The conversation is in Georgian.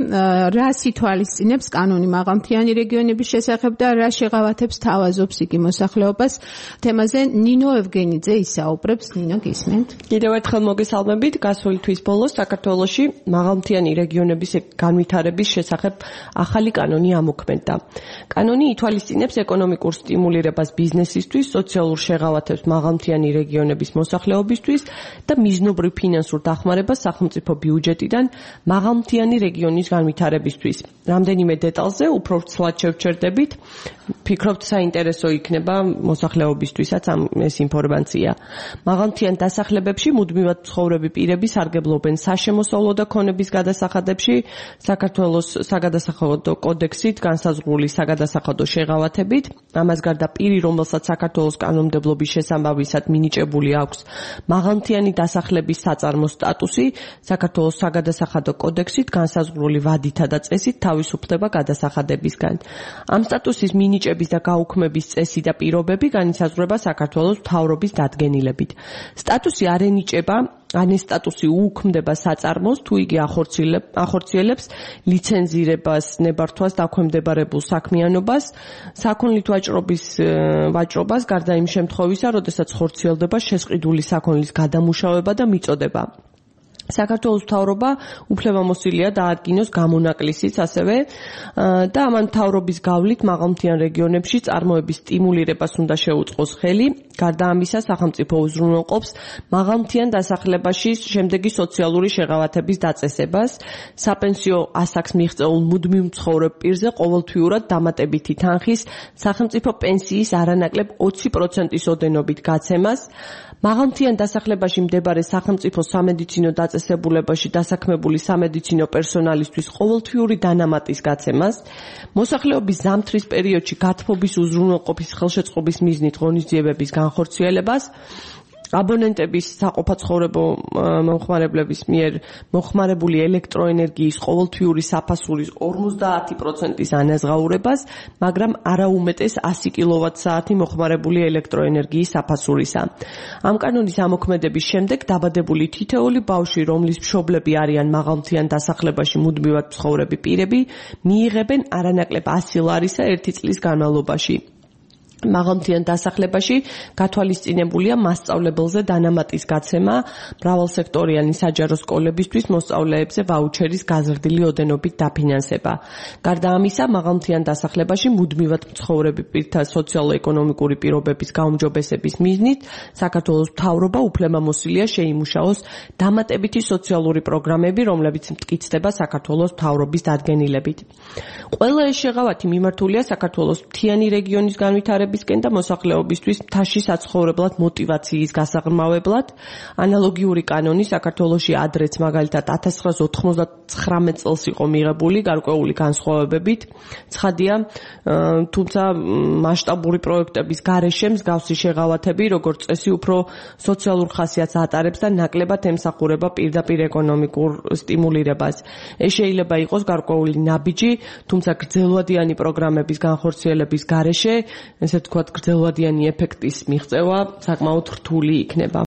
რას ითვალისწინებს კანონი მაღალმთიანი რეგიონების შესახებ და რა შეღავათებს თავაზობს იგი მოსახლეობას. თემაზე ნინო ევგენიძე ისაუბრებს. ნინო, გისმენთ? კიდევ ერთხელ მოგესალმებით. გასული თვის ბოლოს საქართველოში მაღალმთიანი რეგიონების განვითარების შესახებ ახალი კანონი ამოქმედდა. კანონი ითვალისწინებს ეკონომიკურ სტიმულირებას ბიზნესისთვის, სოციალურ შეღავათებს მაღალმთიანი რეგიონების მოსახლეობისთვის და მიზნობრივ ფინანსურ დახმარებას სახელმწიფო ბიუჯეტიდან მაღალმთიანი რეგიონის განვითარებისთვის. რამდენიმე დეტალზე უფრო ცლად შევჩერდებით, ფიქრობთ საინტერესო იქნება მოსახლეობისთვისაც ეს ინფორმაცია. მაღალმთიან დასახლებებში მუდმივად მცხოვრები პირები სარგებლობენ საშემოსავლო და ქონების გადასახადებში, საქართველოს საგადასახადო კოდექსით განსაზღვრული საგადასახადო შეღავათებით. ამას გარდა პირი, რომელსაც საქართველოს კანონმდებლობის შესაბამისად მინიჭებული აქვს მაღალმთიანი დასახლების საწარმო სტატუსი, საქართველოს საგადასახადო კოდექსით განსაზღვრული ვადითა და წესით თავისუფლდება გადასახადებისგან. ამ სტატუსის მინიჭების და გაუქმების წესი და პირობები განისაზღვრება საქართველოს მთავრობის დადგენილებით. სტატუსი არ ენიჭება ან ეს სტატუსი უუქმდება საწარმოს, თუ იგი ახორციელებს ლიცენზირებას, ნებართვას დაქვემდებარებულ საქმიანობას, საქონლით ვაჭრობას, გარდა იმ შემთხვევისა, როდესაც ხორციელდება შესყიდული საქონლის გადამუშავება და მიწოდება. საქართველოს მთავრობა უფლებამოსილია დაადგინოს გამონაკლისიც ასევე და ამან მთავრობის გავლით მაღალმთიან რეგიონებში წარმოების სტიმულირებას უნდა შეუწყოს ხელი. გარდა ამისა, სახელმწიფო უზრუნველყოფს მაღალმთიან დასახლებაში შემდეგი სოციალური შეღავათების დაწესებას. საპენსიო ასაკს მიღწეულ მუდმივ მცხოვრებ პირზე ყოველთვიურად დამატებითი თანხის სახელმწიფო პენსიის არანაკლებ 20%-ის ოდენობით გაცემას. მაღალმთიან დასახლებაში მდებარე სახელმწიფო სამედიცინო დაწესებულებაში დასაქმებული სამედიცინო პერსონალისთვის ყოველთვიური დანამატის გაცემას, მოსახლეობის ზამთრის პერიოდში გათბობის უზრუნველყოფის ხელშეწყობის მიზნით ღონისძიებების განხორციელებას, აბონენტების საყოფაცხოვრებო მომხმარებლების მიერ მოხმარებული ელექტროენერგიის ყოველთვიური საფასურის 50%-ის ანაზღაურებას, მაგრამ არა უმეტეს 100 კილოვატ-საათი მოხმარებული ელექტროენერგიის საფასურისა. ამ კანონის ამოქმედების შემდეგ დაბადებული თითოეული ბავშვი, რომლის მშობლები არიან მაღალმთიან დასახლებაში მუდმივად მცხოვრები პირები, მიიღებენ არანაკლებ 100 ლარისა 1 წლის განმავლობაში. მაღალმთიან დასახლებაში გათვალისწინებულია მასწავლებელზე დანამატის გაცემა, მრავალსექტორიანი საჯარო სკოლებისთვის მოსწავლეებზე ვაუჩერის გაზრდილი ოდენობით დაფინანსება. გარდა ამისა, მაღალმთიან დასახლებაში მუდმივად მცხოვრები პირთა სოციალურ-ეკონომიკური პირობების გაუმჯობესების მიზნით საქართველოს მთავრობა უფლებამოსილია შეიმუშაოს დამატებითი სოციალური პროგრამები, რომლებიც მტკიცდება საქართველოს მთავრობის დადგენილებით. ყველა ეს შეღავათი მიმართულია საქართველოს მთიანი რეგიონის განვითარებისკენ და მოსახლეობისთვის მთაში საცხოვრებლად მოტივაციის გასაღრმავებლად. ანალოგიური კანონი საქართველოში ადრეც მაგალითად 1999 წელს იყო მიღებული გარკვეული განსხვავებებით. ცხადია, თუმცა მასშტაბური პროექტების გარეშე მსგავსი შეღავათები, როგორც წესი, უფრო სოციალურ ხასიათს ატარებს და ნაკლებად ემსახურება პირდაპირ ეკონომიკურ სტიმულირებას. ეს შეიძლება იყოს გარკვეული ნაბიჯი, თუმცა გრძელვადიანი პროგრამების განხორციელების გარეშე, ესე ვთქვათ, გრძელვადიანი ეფექტის მიღწევა საკმაოდ რთული იქნება.